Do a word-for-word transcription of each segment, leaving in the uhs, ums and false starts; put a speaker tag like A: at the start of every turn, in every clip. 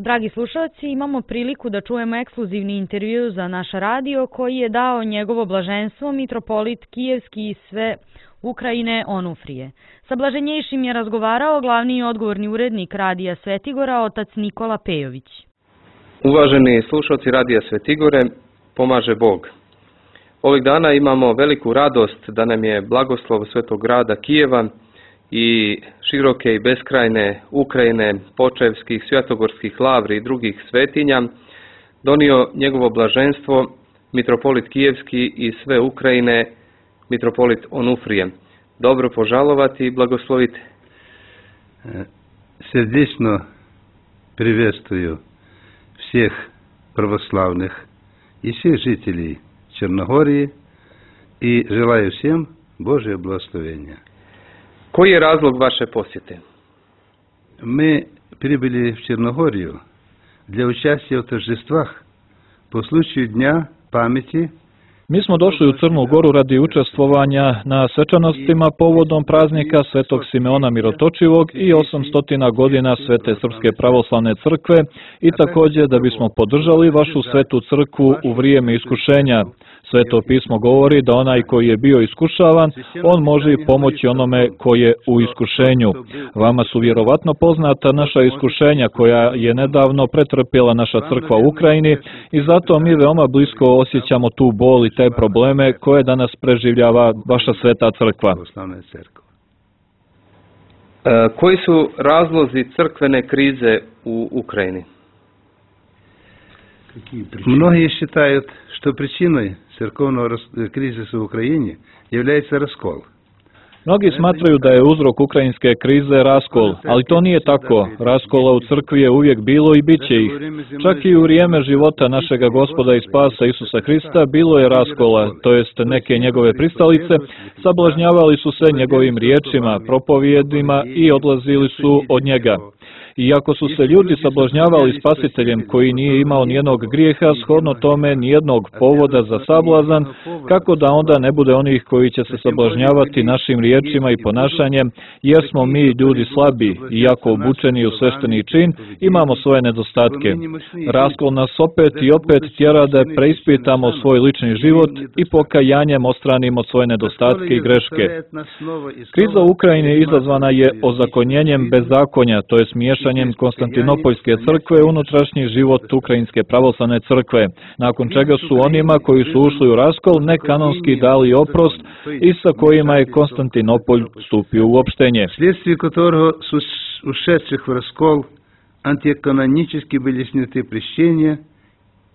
A: Dragi slušalci, imamo priliku da čujemo ekskluzivni intervju za naš radio koji je dao njegovo blaženstvo mitropolit Kijevski i sve Ukrajine Onufrije. Sa blaženjejšim je razgovarao glavni i odgovorni urednik Radija Svetigora, otac Nikola Pejović.
B: Uvaženi slušalci Radija Svetigore, pomaže Bog. Ovih dana imamo veliku radost da nam je blagoslov Svetog grada Kijeva i široke i beskrajne Ukrajine, Počevskih, Svjetogorskih lavri i drugih svetinja donio njegovo blaženstvo mitropolit Kijevski i sve Ukrajine, mitropolit Onufrije. Dobro požalovati i blagoslovite.
C: Сердечно приветствую всех православных и всех жителей Черногории и желаю всем Божие благословения.
B: Koji je razlog vaše posjete?
C: Мы прибыли в Черногорию для участия в торжествах по случаю Дня памяти.
D: Mi smo došli u Crnu Goru radi učestvovanja na svečanostima povodom praznika Svetog Simeona Mirotočivog i osamstotina godina Svete Srpske pravoslavne crkve i također da bismo podržali vašu svetu crkvu u vrijeme iskušenja. Sveto pismo govori da onaj koji je bio iskušavan, on može pomoći onome koji je u iskušenju. Vama su vjerovatno poznata naša iskušenja koja je nedavno pretrpjela naša crkva u Ukrajini i zato mi veoma blisko osjećamo tu bol i te probleme koje danas preživljava vaša sveta crkva.
B: E, koji su razlozi crkvene krize u Ukrajini?
C: Многие считают, что причиной церковного кризиса в Украине является раскол.
D: Mnogi smatraju da je uzrok ukrajinske krize raskol, ali to nije tako. Raskola u crkvi je uvijek bilo i bit će ih. Čak i u vrijeme života našega Gospoda i Spasa Isusa Hrista bilo je raskola, to jest neke njegove pristalice sablažnjavali su se njegovim riječima, propovijedima i odlazili su od njega. Iako su se ljudi sablažnjavali spasiteljem koji nije imao nijednog grijeha, shodno tome nijednog povoda za sablazan, kako da onda ne bude onih koji će se sablažnjavati našim riječima i ponašanjem, jer smo mi ljudi slabi, iako obučeni u svešteni čin, imamo svoje nedostatke. Raskol nas opet i opet tjera da preispitamo svoj lični život i pokajanjem ostranimo svoje nedostatke i greške. Kriza u Ukrajini izazvana je ozakonjenjem bezakonja, to je miješanjem Konstantinopoljske crkve u unutrašnji život Ukrajinske pravoslavne crkve, nakon čega su onima koji su ušli u raskol nekanonski dali oprost i sa kojima je Konstantinopolj stupio u opštenje.
C: Вследствие которого с ушедших в раскол антиканонически были сняты прещения,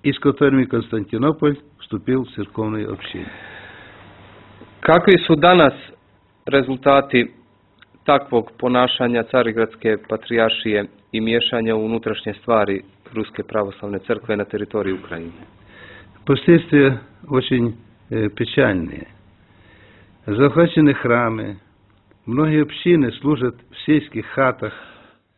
C: и с которыми Константинополь вступил в церковное общение.
B: Kakvi su danas rezultati takvog ponašanja Carigradske patrijaršije i miješanja u unutrašnje stvari Ruske pravoslavne crkve na teritoriji Ukrajine?
C: Последствия очень э, печальные. Захвачены храмы, многие общины служат в сельских хатах.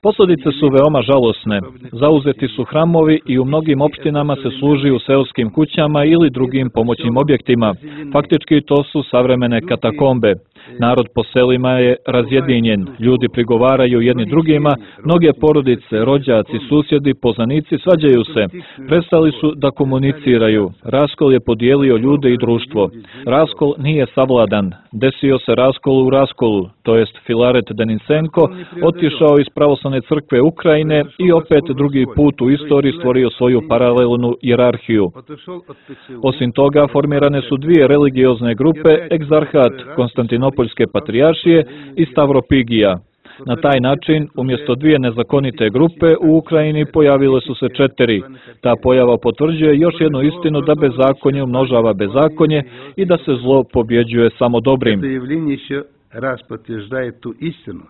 D: Posljedice su veoma žalosne. Zauzeti su hramovi i u mnogim opštinama se služi u seoskim kućama ili drugim pomoćnim objektima. Faktički to su savremene katakombe. Narod po selima je razjedinjen, ljudi prigovaraju jedni drugima, mnoge porodice, rođaci, susjedi, poznanici svađaju se. Prestali su da komuniciraju. Raskol je podijelio ljude i društvo. Raskol nije savladan. Desio se raskol u raskolu, to jest Filaret Denisenko otišao iz pravoslavne crkve Ukrajine i opet drugi put u istoriji stvorio svoju paralelnu hijerarhiju. Osim toga, formirane su dvije religiozne grupe, egzarhat Konstantinopoljske patrijaršije i Stavropigija. Na taj način, umjesto dvije nezakonite grupe, u Ukrajini pojavile su se četiri. Ta pojava potvrđuje još jednu istinu da bezakonje umnožava bezakonje i da se zlo pobjeđuje samo dobrim.
C: Раз подтверждает ту истину,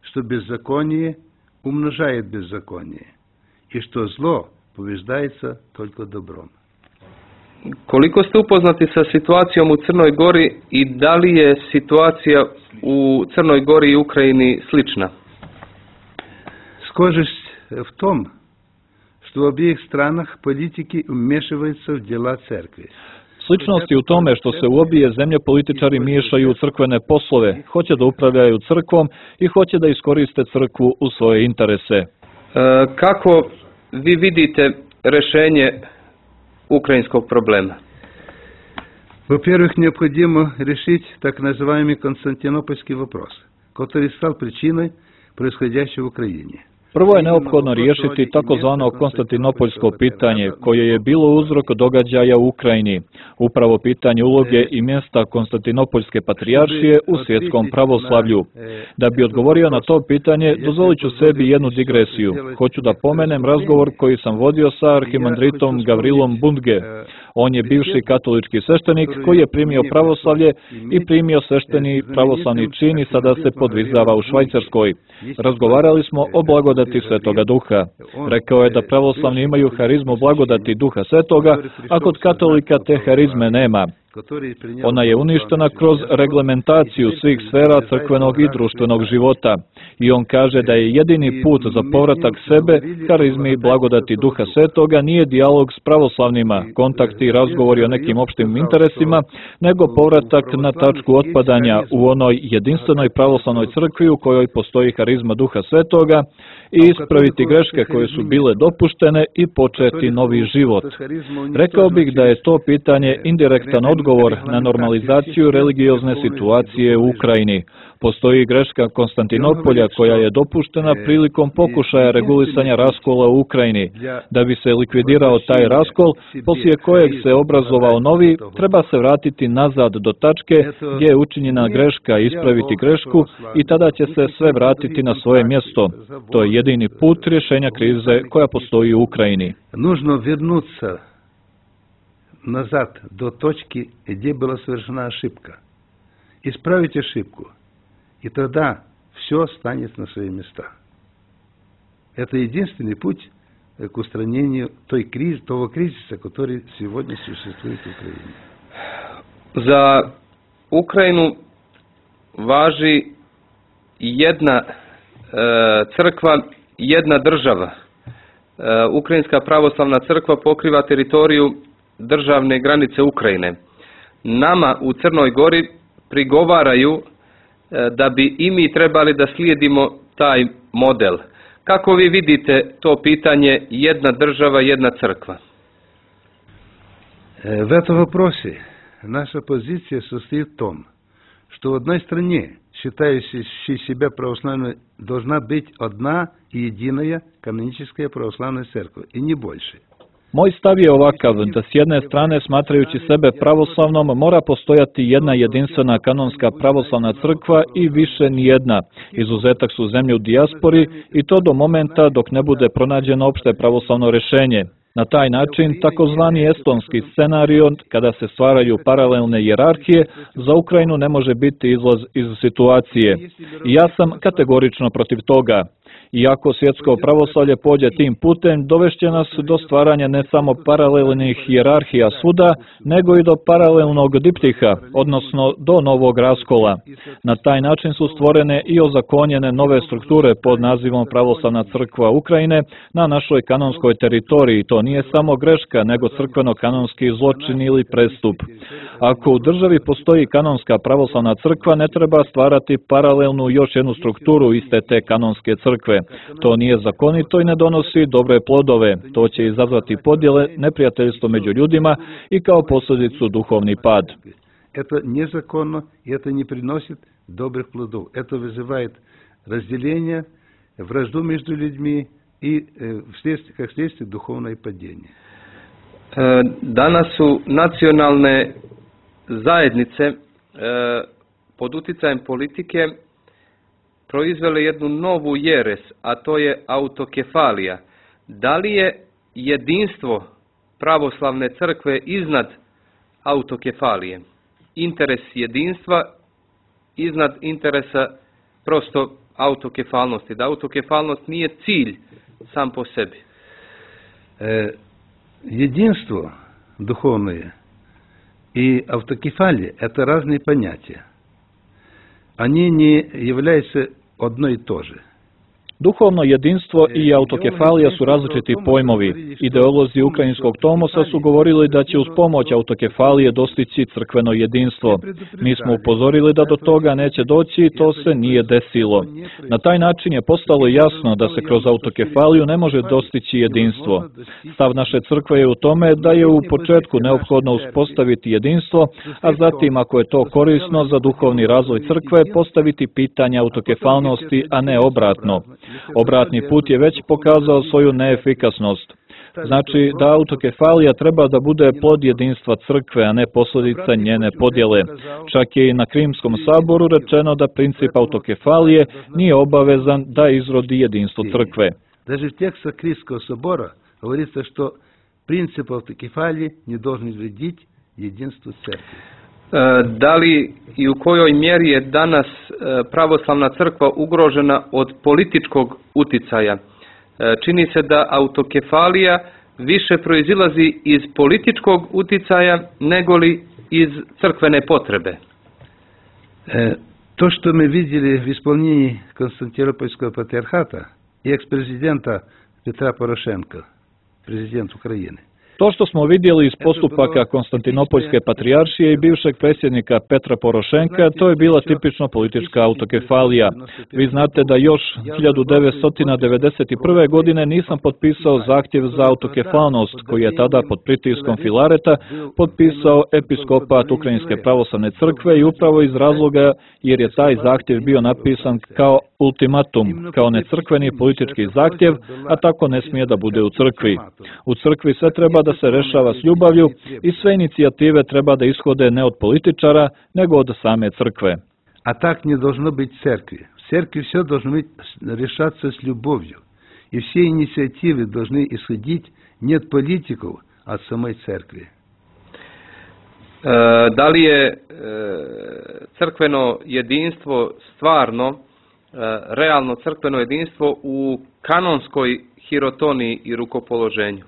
C: что беззаконие умножает беззаконие, и что зло побеждается только добром.
B: Koliko ste upoznati sa situacijom u Crnoj Gori i da li je situacija u Crnoj Gori i Ukrajini slična?
C: Схожесть в том, что в обеих странах политики вмешиваются в дела церкви.
D: Sličnost je u tome što se u obje zemlje političari miješaju u crkvene poslove, hoće da upravljaju crkvom i hoće da iskoriste crkvu u svoje interese.
B: E, kako vi vidite rješenje ukrajinskog problema?
C: Во-первых, необходимо решить так называемый Константинопольский вопрос, который стал причиной происходящего в Украине.
D: Prvo je neophodno riješiti takozvano konstantinopoljsko pitanje, koje je bilo uzrok događaja u Ukrajini, upravo pitanje uloge i mjesta Konstantinopoljske patrijaršije u svjetskom pravoslavlju. Da bi odgovorio na to pitanje, dozvolit ću sebi jednu digresiju. Hoću da pomenem razgovor koji sam vodio sa arhimandritom Gavrilom Bundge. On je bivši katolički sveštenik koji je primio pravoslavlje i primio svešteni pravoslavni čin i sada se podvizava u Švajcarskoj. Razgovarali smo o blagodati Svetoga Duha. Rekao je da pravoslavni imaju harizmu blagodati Duha Svetoga, a kod katolika te harizme nema. Ona je uništena kroz reglementaciju svih sfera crkvenog i društvenog života. I on kaže da je jedini put za povratak sebe, harizmi i blagodati Duha Svetoga nije dijalog s pravoslavnima, kontakti i razgovori o nekim opštim interesima, nego povratak na tačku otpadanja u onoj jedinstvenoj pravoslavnoj crkvi u kojoj postoji harizma Duha Svetoga i ispraviti greške koje su bile dopuštene i početi novi život. Rekao bih da je to pitanje indirektan odgovor na normalizaciju religiozne situacije u Ukrajini. Postoji greška Konstantinopolja koja je dopuštena prilikom pokušaja regulisanja raskola u Ukrajini. Da bi se likvidirao taj raskol, poslije kojeg se obrazovao novi, treba se vratiti nazad do tačke gdje je učinjena greška, ispraviti grešku i tada će se sve vratiti na svoje mjesto. To je jedini put rješenja krize koja postoji u Ukrajini.
C: Нужно вернуться назад до точки, где была совершена ошибка. Исправить ошибку. И тогда все станет на свои места. Это единственный путь к устранению той криз, того кризиса, который сегодня существует в Украине.
B: Za Ukrajinu važi jedna e, crkva, jedna država. E, Ukrajinska pravoslavna crkva pokriva teritoriju državne granice Ukrajine. Nama u Crnoj Gori prigovaraju da bi i mi trebali da slijedimo taj model. Kako vi vidite to pitanje jedna država, jedna crkva?
C: В этом вопросе наша позиция состоит в том, что в одной стране, считающей себя православной, должна быть одна и единая каноническая православная церковь, и не больше.
D: Moj stav je ovakav, da s jedne strane, smatrajući sebe pravoslavnom, mora postojati jedna jedinstvena kanonska pravoslavna crkva i više nijedna. Izuzetak su zemlje u dijaspori i to do momenta dok ne bude pronađeno opšte pravoslavno rješenje. Na taj način, takozvani estonski scenario, kada se stvaraju paralelne hijerarhije, za Ukrajinu ne može biti izlaz iz situacije. I ja sam kategorično protiv toga. Iako svjetsko pravoslavlje pođe tim putem, dovešće nas do stvaranja ne samo paralelnih hijerarhija svuda, nego i do paralelnog diptiha, odnosno do novog raskola. Na taj način su stvorene i ozakonjene nove strukture pod nazivom Pravoslavna crkva Ukrajine na našoj kanonskoj teritoriji. To nije samo greška, nego crkveno-kanonski zločin ili prestup. Ako u državi postoji kanonska pravoslavna crkva, ne treba stvarati paralelnu još jednu strukturu iste te kanonske crkve. To nije zakonito i ne donosi dobre plodove. To će izazvati podjele, neprijateljstvo među ljudima i kao posljedicu duhovni pad.
C: Это незаконно, и это не приносит добрых плодов. Это вызывает разделение, вражду между людьми и, как следствие, духовное падение.
B: Danas su nacionalne zajednice pod uticajem politike proizvele jednu novu jeres, a to je autokefalija. Da li je jedinstvo pravoslavne crkve iznad autokefalije? Interes jedinstva iznad interesa prosto autokefalnosti. Da autokefalnost nije cilj sam po sebi.
C: E, единство духовное и автокефалия – это разные понятия. Они не являются одно и то же.
D: Duhovno jedinstvo i autokefalija su različiti pojmovi. Ideolozi ukrajinskog tomosa su govorili da će uz pomoć autokefalije dostići crkveno jedinstvo. Mi smo upozorili da do toga neće doći i to se nije desilo. Na taj način je postalo jasno da se kroz autokefaliju ne može dostići jedinstvo. Stav naše crkve je u tome da je u početku neophodno uspostaviti jedinstvo, a zatim, ako je to korisno za duhovni razvoj crkve, postaviti pitanje autokefalnosti, a ne obratno. Obratni put je već pokazao svoju neefikasnost. Znači da autokefalija treba da bude plod jedinstva crkve, a ne posljedica njene podjele. Čak je i na Krimskom saboru rečeno da princip autokefalije nije obavezan da izrodi jedinstvo crkve.
C: Даже в текстах Кримского собора говорится, что принцип автокефалии не должен вредить единству церкви.
B: Da li i u kojoj mjeri je danas pravoslavna crkva ugrožena od političkog uticaja? Čini se da autokefalija više proizilazi iz političkog uticaja nego li iz crkvene potrebe.
C: To što mi vidjeli v исполнении Константинопольского патриархата и екс-президента Петра Порошенка, президент Украjine.
D: To što smo vidjeli iz postupaka Konstantinopoljske patrijaršije i bivšeg predsjednika Petra Porošenka, to je bila tipično politička autokefalija. Vi znate da još hiljadu devetsto devedeset prve. godine nisam potpisao zahtjev za autokefalnost, koji je tada pod pritiskom Filareta potpisao episkopat Ukrajinske pravoslavne crkve i upravo iz razloga jer je taj zahtjev bio napisan kao ultimatum, kao necrkveni politički zahtjev, a tako ne smije da bude u crkvi. U crkvi sve treba da se rešava s ljubavlju i sve inicijative treba da ishode ne od političara, nego od same crkve.
C: A tak не должно быть в церкви. В церкви все должно быть решаться с любовью. И все инициативы должны исходить не от политиков, а от самой церкви.
B: Da li je crkveno jedinstvo stvarno, realno crkveno jedinstvo u kanonskoj hirotoniji i rukopoloženju?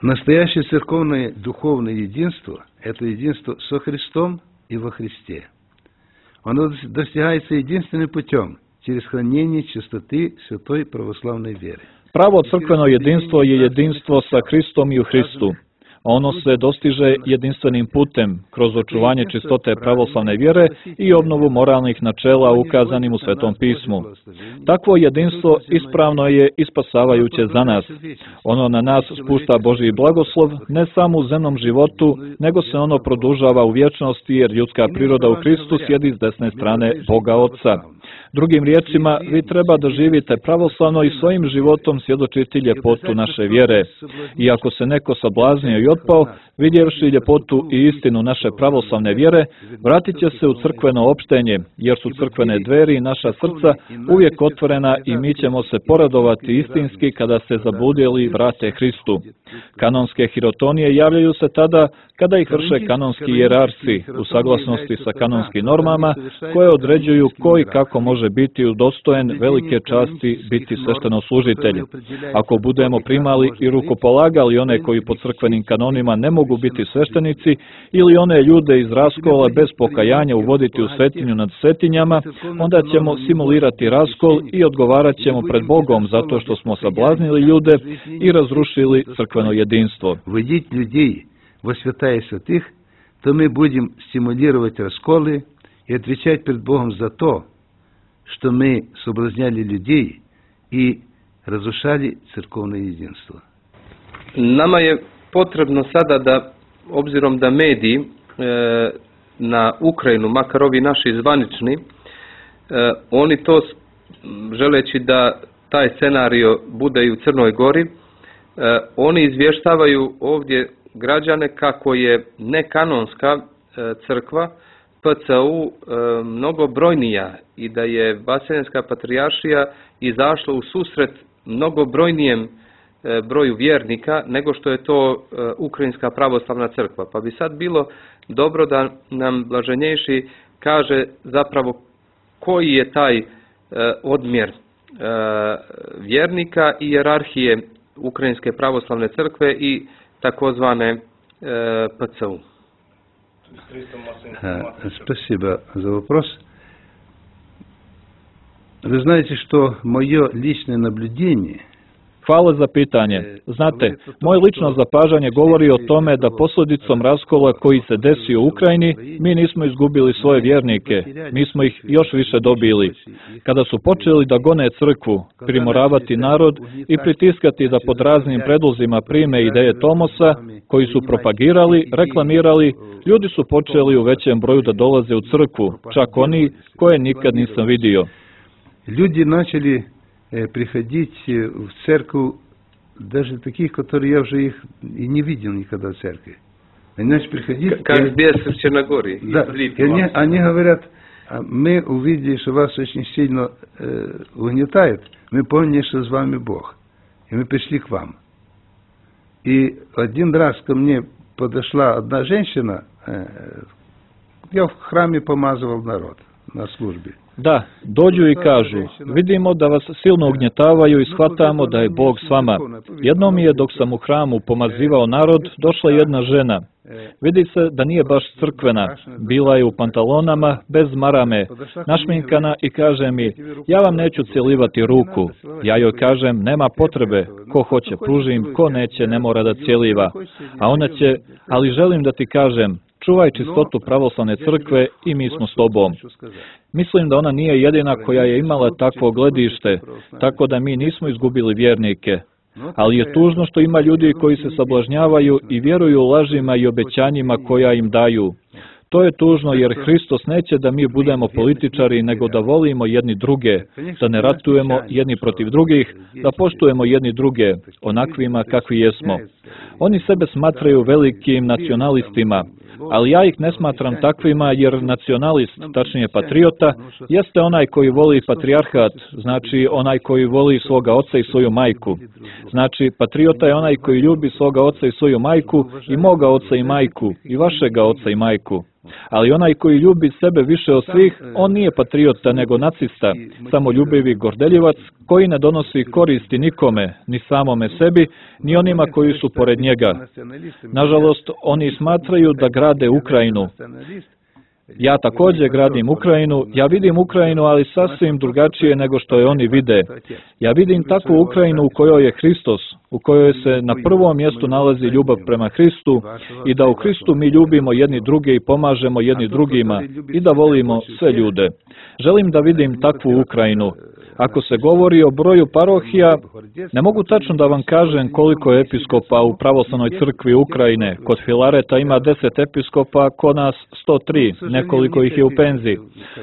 C: Настоящее церковное духовное единство – это единство со Христом и во Христе. Оно достигается единственным путем – через хранение чистоты святой православной веры.
D: Pravo crkveno jedinstvo je jedinstvo sa Hristom i u Hristu. Ono se dostiže jedinstvenim putem, kroz očuvanje čistote pravoslavne vjere i obnovu moralnih načela ukazanim u Svetom pismu. Takvo jedinstvo ispravno je i spasavajuće za nas. Ono na nas spušta Božji blagoslov ne samo u zemnom životu, nego se ono produžava u vječnosti jer ljudska priroda u Hristu sjedi s desne strane Boga Oca. Drugim riječima, vi treba da živite pravoslavno i svojim životom svjedočiti ljepotu naše vjere. I ako se neko sablaznio i otpao, vidjevši ljepotu i istinu naše pravoslavne vjere, vratit će se u crkveno opštenje, jer su crkvene dveri i naša srca uvijek otvorena i mi ćemo se poradovati istinski kada se zabludjeli vrate Hristu. Kanonske hirotonije javljaju se tada kada ih vrše kanonski jerarsi u saglasnosti sa kanonskim normama koje određuju ko i kako može biti udostojen velike časti biti sveštenoslужitelj. Ako budemo primali i rukopolagali one koji po crkvenim kanonima ne mogu biti sveštenici ili one ljude iz raskola bez pokajanja uvoditi u svetinju nad svetinjama, onda ćemo simulirati raskol i odgovarat ćemo pred Bogom zato što smo sablaznili ljude i razrušili crkveno jedinstvo.
C: Вводить людей во святая святых, то мы будем стимулировать расколы и отвечать перед Богом за то, что мы соблазняли людей и разрушали церковное единство.
B: Nama je potrebno sada da, obzirom da mediji e, na Ukrajinu, makar ovi naši zvanični, e, oni to želeći da taj scenario bude i u Crnoj Gori, e, oni izvještavaju ovdje građane kako je nekanonska e, crkva P C U e, mnogo brojnija i da je Vaseljenska patrijaršija izašla u susret mnogo brojnijem e, broju vjernika nego što je to e, Ukrajinska pravoslavna crkva. Pa bi sad bilo dobro da nam blaženjejši kaže zapravo koji je taj e, odmjer e, vjernika i hijerarhije Ukrajinske pravoslavne crkve i takozvane P C U.
C: Спасибо за вопрос. Вы знаете, что мое личное наблюдение
D: Hvala za pitanje. Znate, moje lično zapažanje govori o tome da posljedicom raskola koji se desio u Ukrajini, mi nismo izgubili svoje vjernike, mi smo ih još više dobili. Kada su počeli da gone crkvu, primoravati narod i pritiskati da pod raznim predlozima prime ideje Tomosa, koji su propagirali, reklamirali, ljudi su počeli u većem broju da dolaze u crkvu, čak oni koje nikad nisam vidio.
C: Люди начали приходить в церковь, даже таких, которые я уже их и не видел никогда в церкви. Они начали приходить...
B: Как и, бесы в Черногории.
C: Да, и они, они говорят, мы увидели, что вас очень сильно э, угнетает, мы поняли, что с вами Бог, и мы пришли к вам. И один раз ко мне подошла одна женщина, э, я в храме помазывал народ на службе.
D: Da, dođu i kažu, vidimo da vas silno ugnjetavaju i shvatamo da je Bog s vama. Jednom mi je, dok sam u hramu pomazivao narod, došla jedna žena. Vidi se da nije baš crkvena. Bila je u pantalonama, bez marame, našminkana i kaže mi, ja vam neću cjelivati ruku. Ja joj kažem, nema potrebe, ko hoće pružim, ko neće ne mora da cjeliva. A ona će, ali želim da ti kažem, čuvaj čistotu pravoslavne crkve i mi smo s tobom. Mislim da ona nije jedina koja je imala takvo gledište, tako da mi nismo izgubili vjernike. Ali je tužno što ima ljudi koji se sablažnjavaju i vjeruju lažima i obećanjima koja im daju. To je tužno jer Hristos neće da mi budemo političari, nego da volimo jedni druge, da ne ratujemo jedni protiv drugih, da poštujemo jedni druge, onakvima kakvi jesmo. Oni sebe smatraju velikim nacionalistima, ali ja ih ne smatram takvima jer nacionalist, tačnije patriota, jeste onaj koji voli patrijarhat, znači onaj koji voli svoga oca i svoju majku. Znači, patriota je onaj koji ljubi svoga oca i svoju majku i moga oca i majku i vašega oca i majku. Ali onaj koji ljubi sebe više od svih, on nije patriota nego nacista, samoljubivi gordeljivac koji ne donosi koristi nikome, ni samome sebi, ni onima koji su pored njega. Nažalost, oni smatraju da grade Ukrajinu. Ja također gradim Ukrajinu, ja vidim Ukrajinu, ali sasvim drugačije nego što je oni vide. Ja vidim takvu Ukrajinu u kojoj je Hristos, u kojoj se na prvom mjestu nalazi ljubav prema Hristu i da u Hristu mi ljubimo jedni druge i pomažemo jedni drugima i da volimo sve ljude. Želim da vidim takvu Ukrajinu. Ako se govori o broju parohija, ne mogu tačno da vam kažem koliko je episkopa u pravoslavnoj crkvi Ukrajine. Kod Filareta ima deset episkopa, kod nas sto tri, nekoliko ih je u penziji.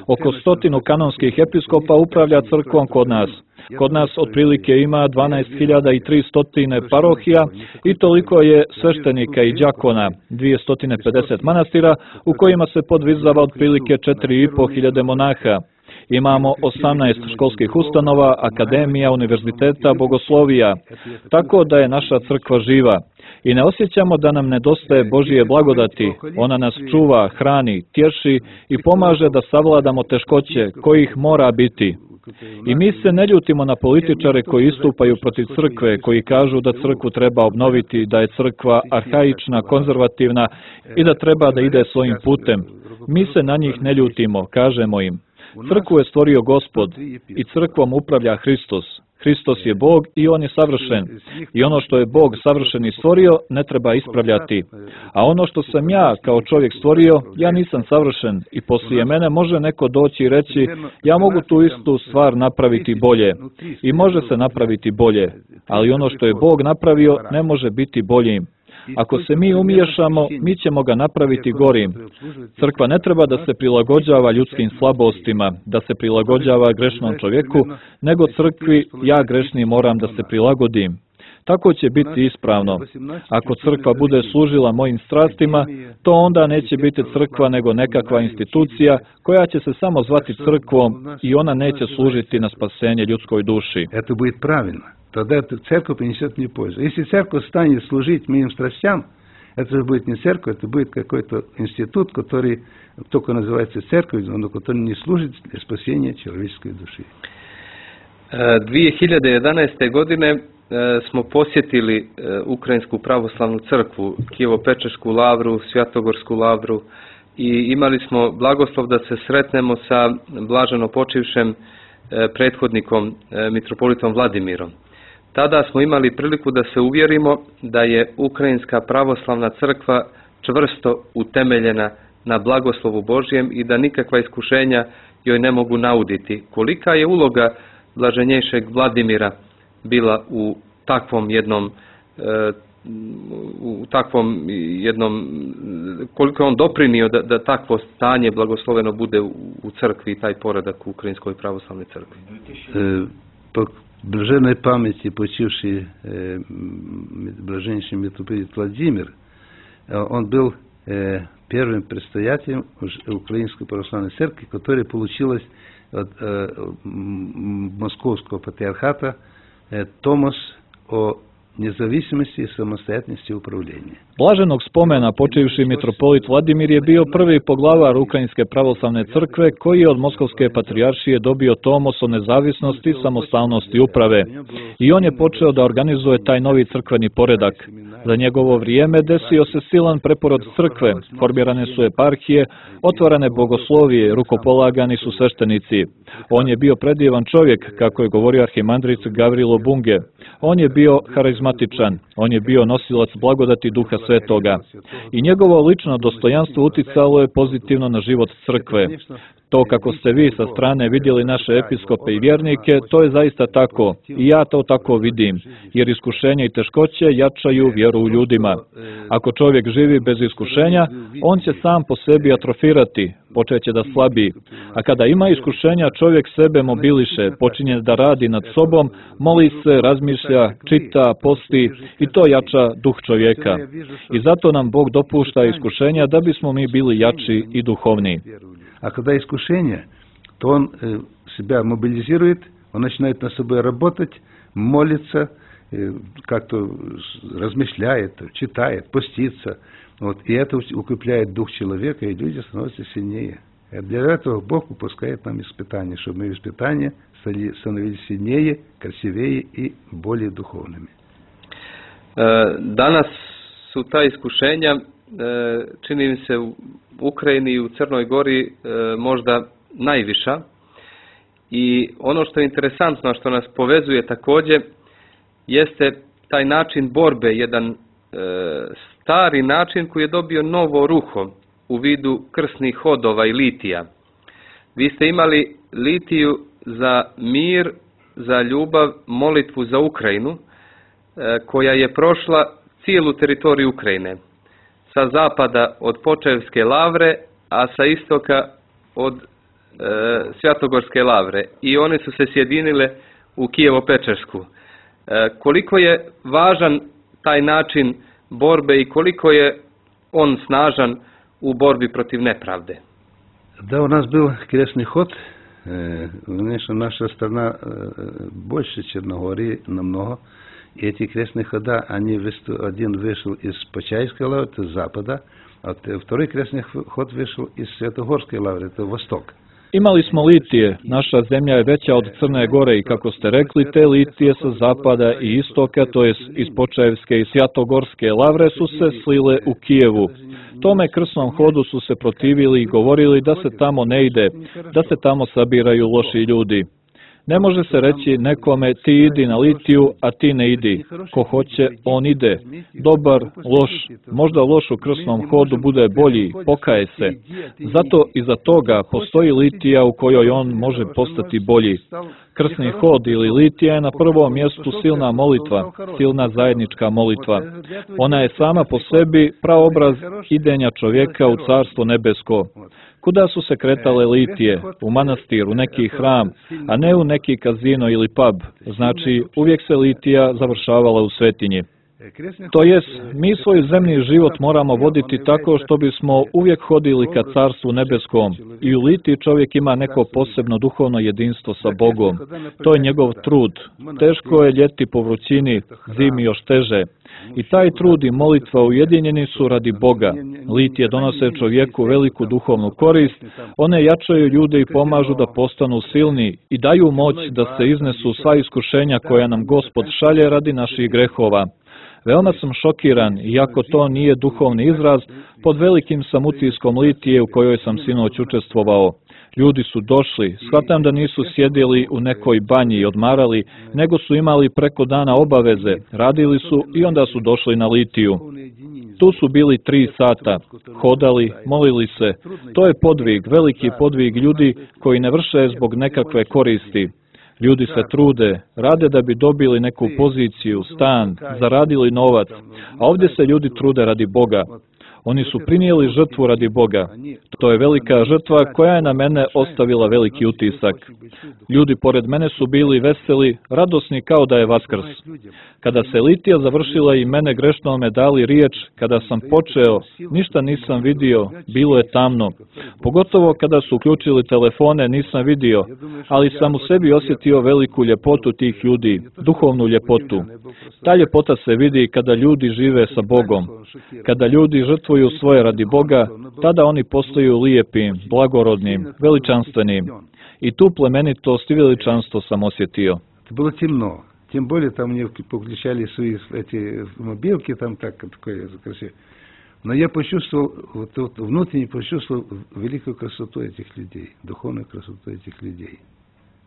D: Oko stotinu kanonskih episkopa upravlja crkvom kod nas. Kod nas otprilike ima dvanaest hiljada tristo parohija i toliko je sveštenika i đakona, dvjesto pedeset manastira u kojima se podvizava otprilike četiri i pol hiljade monaha. Imamo osamnaest školskih ustanova, akademija, univerziteta, bogoslovija, tako da je naša crkva živa. I ne osjećamo da nam nedostaje Božije blagodati. Ona nas čuva, hrani, tješi i pomaže da savladamo teškoće kojih mora biti. I mi se ne ljutimo na političare koji istupaju protiv crkve, koji kažu da crkvu treba obnoviti, da je crkva arhaična, konzervativna i da treba da ide svojim putem. Mi se na njih ne ljutimo, kažemo im. Crkvu je stvorio Gospod i crkvom upravlja Hristos. Hristos je Bog i On je savršen. I ono što je Bog savršen i stvorio, ne treba ispravljati. A ono što sam ja kao čovjek stvorio, ja nisam savršen i poslije mene može neko doći i reći, ja mogu tu istu stvar napraviti bolje. I može se napraviti bolje. Ali ono što je Bog napravio, ne može biti boljim. Ako se mi umiješamo, mi ćemo ga napraviti gorim. Crkva ne treba da se prilagođava ljudskim slabostima, da se prilagođava grešnom čovjeku, nego crkvi ja grešni moram da se prilagodim. Tako će biti ispravno. Ako crkva bude služila mojim strastima, to onda neće biti crkva nego nekakva institucija koja će se samo zvati crkvom i ona neće služiti na spasenje ljudskoj duši.
C: To bude pravilno. Тогда церковь принесет мне пользу. Если церковь станет служить моим страстям, это же будет не церковь, это будет какой-то институт, который только называется церковью, но который не служит для спасения человеческой души.
B: dvije hiljade jedanaeste. godine smo posjetili Ukrajinsku pravoslavnu crkvu, Kijevo-Pečešku lavru, Svjatogorsku lavru i imali smo blagoslov da se sretnemo sa blaženo počivšem prethodnikom mitropolitom Vladimirom. Tada smo imali priliku da se uvjerimo da je Ukrajinska pravoslavna crkva čvrsto utemeljena na blagoslovu Božjem i da nikakva iskušenja joj ne mogu nauditi. Kolika je uloga blaženjejšeg Vladimira bila u takvom jednom u takvom jednom, koliko je on doprinio da, da takvo stanje blagosloveno bude u, u crkvi i taj poredak u Ukrajinskoj pravoslavnoj crkvi?
C: E, po blaženoj pameti počivši e, blaženjši mitroполит Владимир, он был э, первым предстоятелем Украинской православной церкви, которая получилась от э, Московского патриархата э, Томос о независимости и самостоятельности управления.
D: Blaženog spomena počivši mitropolit Vladimir je bio prvi poglavar Ukrajinske pravoslavne crkve koji je od Moskovske patrijaršije dobio tomos o nezavisnosti, samostalnosti uprave. I on je počeo da organizuje taj novi crkveni poredak. Za njegovo vrijeme desio se silan preporod crkve, formirane su eparhije, otvarane bogoslovije, rukopolagani su sveštenici. On je bio predivan čovjek, kako je govorio arhimandrit Gavrilo Bunge. On je bio harizmatičan, on je bio nosilac blagodati Duha Svetoga. I njegovo lično dostojanstvo uticalo je pozitivno na život crkve. To kako ste vi sa strane vidjeli naše episkope i vjernike, to je zaista tako. I ja to tako vidim, jer iskušenja i teškoće jačaju vjeru u ljudima. Ako čovjek živi bez iskušenja, on će sam po sebi atrofirati, počeće da slabi. A kada ima iskušenja, čovjek sebe mobiliše, počinje da radi nad sobom, moli se, razmišlja, čita, posti i to jača duh čovjeka. I zato nam Bog dopušta iskušenja da bismo mi bili jači i duhovni.
C: А когда искушение, то он э, себя мобилизирует, он начинает над собой работать, молится, э, как-то размышляет, читает, постится. Вот, и это укрепляет дух человека, и люди становятся сильнее. И для этого Бог выпускает нам испытания, чтобы мы в испытания становились сильнее, красивее и более духовными.
B: Danas su ta iskušenja, čini mi se, u Ukrajini i u Crnoj Gori možda najviša. I ono što je interesantno, što nas povezuje također, jeste taj način borbe, jedan stari način koji je dobio novo ruho u vidu krsnih hodova i litija. Vi ste imali litiju za mir, za ljubav, molitvu za Ukrajinu, koja je prošla cijelu teritoriju Ukrajine. Sa zapada od Počevske lavre, a sa istoka od e, Svjatogorske lavre. I one su se sjedinile u Kijevo-Pečersku. E, koliko je važan taj način borbe i koliko je on snažan u borbi protiv nepravde?
C: Да, у нас был крестный ход. Конечно, наша страна больше Черногории намного. И эти крестные хода, они один вышел из Почаевской лавры, это с запада, а второй крестный ход вышел из Святогорской лавры, это восток.
D: Imali smo litije, naša zemlja je veća od Crne Gore i kako ste rekli, te litije sa zapada i istoka, to jest iz Počaevske i Svjatogorske lavre su se slile u Kijevu. Tome krsnom hodu su se protivili i govorili da se tamo ne ide, da se tamo sabiraju loši ljudi. Ne može se reći nekome ti idi na litiju, a ti ne idi. Ko hoće, on ide. Dobar, loš, možda loš u krsnom hodu bude bolji, pokaje se. Zato iza toga postoji litija u kojoj on može postati bolji. Krsni hod ili litija je na prvom mjestu silna molitva, silna zajednička molitva. Ona je sama po sebi praobraz idenja čovjeka u Carstvo nebesko. Kuda su se kretale litije? U manastir, u neki hram, a ne u neki kazino ili pub. Znači, uvijek se litija završavala u svetinji. To jest, mi svoj zemlji život moramo voditi tako što bismo uvijek hodili ka Carstvu nebeskom i u litiji čovjek ima neko posebno duhovno jedinstvo sa Bogom. To je njegov trud. Teško je ljeti po vrućini, zimi još teže. I taj trud i molitva ujedinjeni su radi Boga. Litije donose čovjeku veliku duhovnu korist, one jačaju ljude i pomažu da postanu silni i daju moć da se iznesu sva iskušenja koja nam Gospod šalje radi naših grehova. Veoma sam šokiran, iako to nije duhovni izraz, pod velikim sam utiskom litije u kojoj sam sinoć učestvovao. Ljudi su došli, shvatam da nisu sjedili u nekoj banji i odmarali, nego su imali preko dana obaveze, radili su i onda su došli na litiju. Tu su bili tri sata, hodali, molili se. To je podvig, veliki podvig ljudi koji ne vrše zbog nekakve koristi. Ljudi se trude, rade da bi dobili neku poziciju, stan, zaradili novac, a ovdje se ljudi trude radi Boga. Oni su prinijeli žrtvu radi Boga. To je velika žrtva koja je na mene ostavila veliki utisak. Ljudi pored mene su bili veseli, radosni kao da je Vaskrs. Kada se litija završila i mene grešnome dali riječ, kada sam počeo, ništa nisam vidio, bilo je tamno. Pogotovo kada su uključili telefone nisam vidio, ali sam u sebi osjetio veliku ljepotu tih ljudi, duhovnu ljepotu. Ta ljepota se vidi kada ljudi žive sa Bogom. Kada ljudi žrtvuju svoje radi Boga, tada oni postaju lijepim, blagorodnim, veličanstvenim. I tu plemenitost i veličanstvo sam osjetio.
C: Bilo temno. Тем более там мне включали свои эти мобилки, там так, такое красивое. Но я почувствовал, вот, вот внутренне почувствовал великую красоту этих людей, духовную красоту этих людей.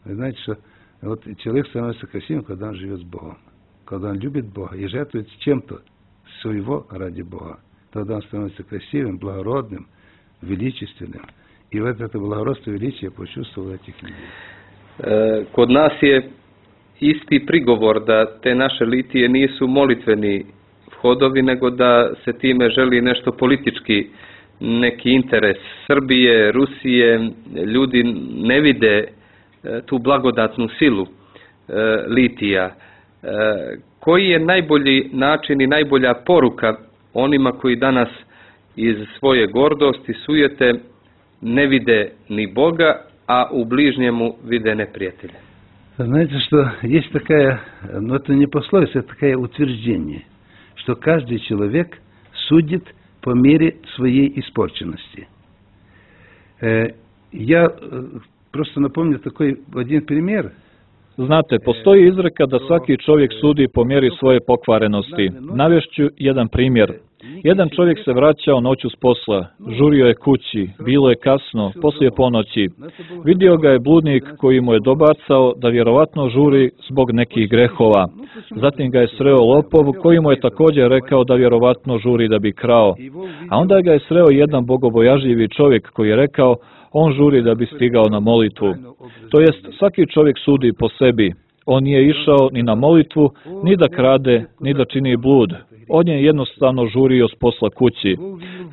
C: Вы знаете, что вот человек становится красивым, когда он живет с Богом, когда он любит Бога и жертвует чем-то своего ради Бога. Тогда он становится красивым, благородным, величественным. И вот это благородство и величие я почувствовал этих людей.
B: Kod nas je isti prigovor da te naše litije nisu molitveni vhodovi, nego da se time želi nešto politički, neki interes Srbije, Rusije. Ljudi ne vide tu blagodatnu silu litija. Koji je najbolji način i najbolja poruka onima koji danas iz svoje gordosti, sujete ne vide ni Boga, a u bližnjemu vide neprijatelja?
C: Знаете, что есть такая, но это не пословица, это такое утверждение, что каждый человек судит по мере своей испорченности. Я просто напомню такой один пример.
D: Znate, postoji izreka da svaki čovjek sudi po mjeri svoje pokvarenosti. Navešću jedan primjer. Jedan čovjek se vraćao noću s posla, žurio je kući, bilo je kasno, poslije ponoći. Vidio ga je bludnik koji mu je dobacao da vjerovatno žuri zbog nekih grehova. Zatim ga je sreo lopov koji mu je također rekao da vjerovatno žuri da bi krao. A onda ga je sreo jedan bogobojažljivi čovjek koji je rekao on žuri da bi stigao na molitvu. To jest, svaki čovjek sudi po sebi. On nije išao ni na molitvu, ni da krade, ni da čini blud. On je jednostavno žurio s posla kući.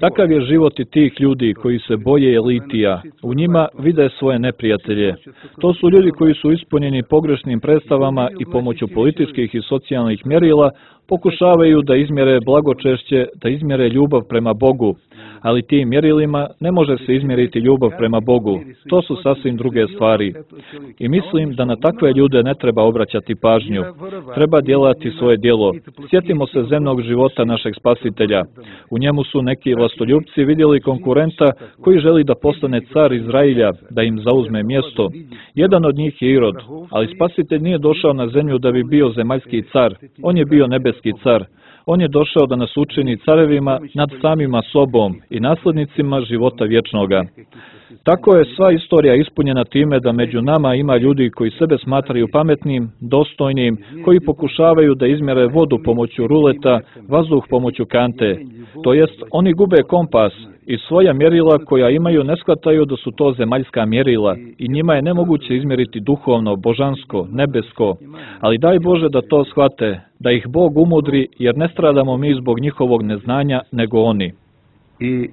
D: Takav je život i tih ljudi koji se boje litija. U njima vide svoje neprijatelje. To su ljudi koji su ispunjeni pogrešnim predstavama i pomoću političkih i socijalnih mjerila pokušavaju da izmjere blagočešće, da izmjere ljubav prema Bogu. Ali tim mjerilima ne može se izmjeriti ljubav prema Bogu. To su sasvim druge stvari. I mislim da na takve ljude ne treba obraćati pažnju. Treba djelati svoje djelo. Sjetimo se zemnog života našeg Spasitelja. U njemu su neki vlastoljupci vidjeli konkurenta koji želi da postane car Izrailja, da im zauzme mjesto. Jedan od njih je Irod, ali Spasitelj nije došao na zemlju da bi bio zemaljski car. On je bio nebeski car. On je došao da nas učini carevima nad samima sobom i naslednicima života vječnoga. Tako je sva istorija ispunjena time da među nama ima ljudi koji sebe smatraju pametnim, dostojnim, koji pokušavaju da izmjere vodu pomoću ruleta, vazduh pomoću kante. To jest, oni gube kompas i svoja mjerila koja imaju ne shvataju da su to zemaljska mjerila i njima je nemoguće izmjeriti duhovno, božansko, nebesko. Ali daj Bože da to shvate, da ih Bog umudri, jer ne stradamo mi zbog njihovog neznanja, nego oni.
C: I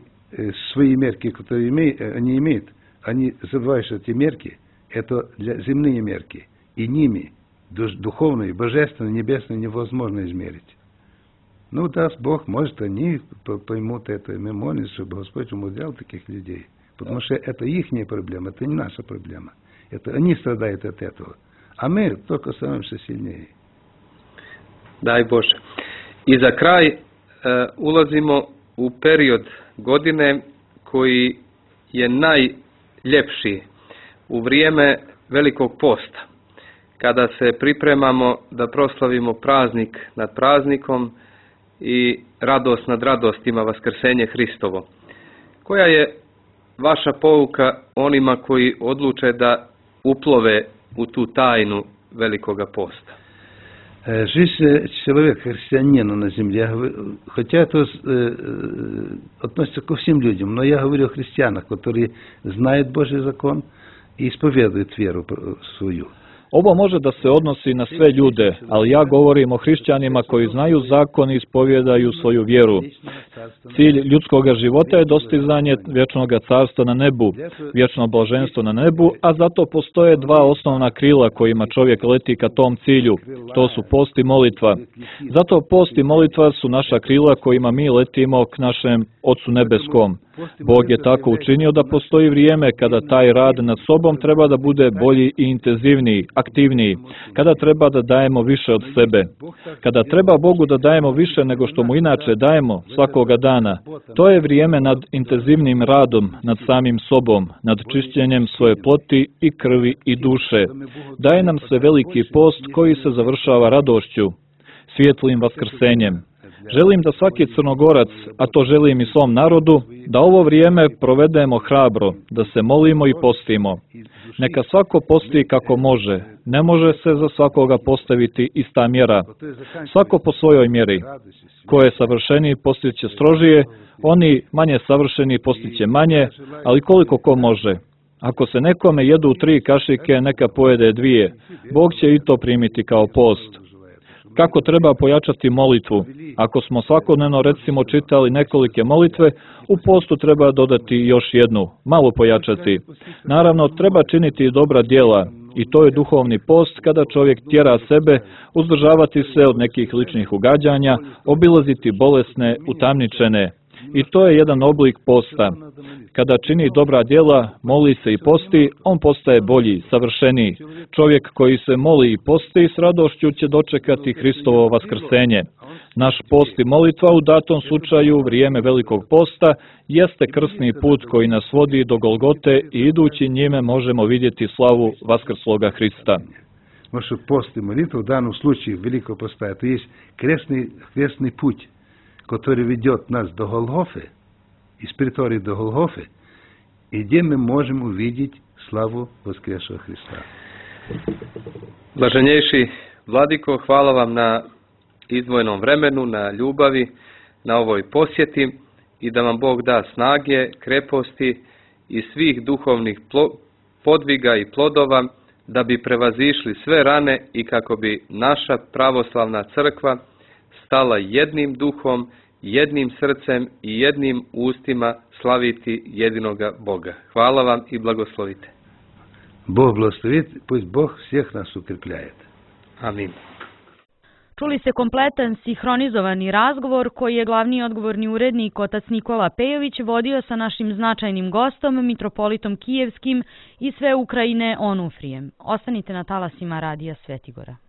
C: свои мерки, которые имеют, они имеют, они забывают, что эти мерки – это для земные мерки, и ними духовные, божественные, небесные невозможно измерить. Ну, даст Бог, может, они поймут это, и мы молимся, чтобы Господь умудрял таких людей, потому что это их проблема, это не наша проблема. Это они страдают от этого, а мы только становимся сильнее.
B: Daj Bože. I za kraj uh, ulazimo u period godine koji je najljepši u vrijeme Velikog posta, kada se pripremamo da proslavimo praznik nad praznikom i radost nad radostima Vaskrsenje Hristovo, koja je vaša pouka onima koji odluče da uplove u tu tajnu Velikoga posta?
C: Жизнь человека, христианина на земле, хотя это э, относится ко всем людям, но я говорю о христианах, которые знают Божий закон и исповедуют веру свою.
D: Ovo može da se odnosi na sve ljude, ali ja govorim o hrišćanima koji znaju zakon i ispovjedaju svoju vjeru. Cilj ljudskog života je dostizanje vječnog carstva na nebu, vječno blaženstvo na nebu, a zato postoje dva osnovna krila kojima čovjek leti ka tom cilju. To su post i molitva. Zato post i molitva su naša krila kojima mi letimo k našem Ocu nebeskom. Bog je tako učinio da postoji vrijeme kada taj rad nad sobom treba da bude bolji i intenzivniji, aktivniji, kada treba da dajemo više od sebe, kada treba Bogu da dajemo više nego što mu inače dajemo svakoga dana. To je vrijeme nad intenzivnim radom, nad samim sobom, nad čišćenjem svoje ploti i krvi i duše. Daje nam se veliki post koji se završava radošću, svijetlim vaskrsenjem. Želim da svaki Crnogorac, a to želim i svom narodu, da ovo vrijeme provedemo hrabro, da se molimo i postimo. Neka svako posti kako može. Ne može se za svakoga postaviti ista mjera. Svako po svojoj mjeri. Ko je savršeniji postiće strožije, oni manje savršeni postiće manje, ali koliko ko može. Ako se nekome jedu tri kašike, neka pojede dvije. Bog će i to primiti kao post. Kako treba pojačati molitvu? Ako smo svakodnevno recimo čitali nekolike molitve, u postu treba dodati još jednu, malo pojačati. Naravno, treba činiti i dobra djela, i to je duhovni post kada čovjek tjera sebe, uzdržavati se od nekih ličnih ugađanja, obilaziti bolesne, utamničene. I to je jedan oblik posta. Kada čini dobra djela, moli se i posti, on postaje bolji, savršeniji. Čovjek koji se moli i posti s radošću će dočekati Hristovo vaskrsenje. Naš post i molitva u datom slučaju, vrijeme Velikog posta, jeste krsni put koji nas vodi do Golgote i idući njime možemo vidjeti slavu vaskrsloga Hrista.
C: Naš post i molitva u danom slučaju Velikog posta, to je kresni, kresni put, который ведет нас до Голгофы, из притории до Голгофы, и где мы можем увидеть славу воскресшего Христа.
B: Blaženjejši Vladiko, hvala vam na izdvojenom vremenu, na ljubavi, na ovoj posjeti i da vam Bog da snage, kreposti i svih duhovnih podviga i plodova da bi prevazišli sve rane i kako bi naša pravoslavna crkva stala jednim duhom, jednim srcem i jednim ustima slaviti jedinoga Boga. Hvala vam i blagoslovite.
C: Bog blagoslovit, pусть Bog всех nas укрепляет.
B: Amin.
A: Čuli ste kompletan sinhronizovani razgovor koji je glavni odgovorni urednik otac Nikola Pejović vodio sa našim značajnim gostom, mitropolitom Kijevskim i sve Ukrajine Onufrijem. Ostanite na talasima Radija Svetigora.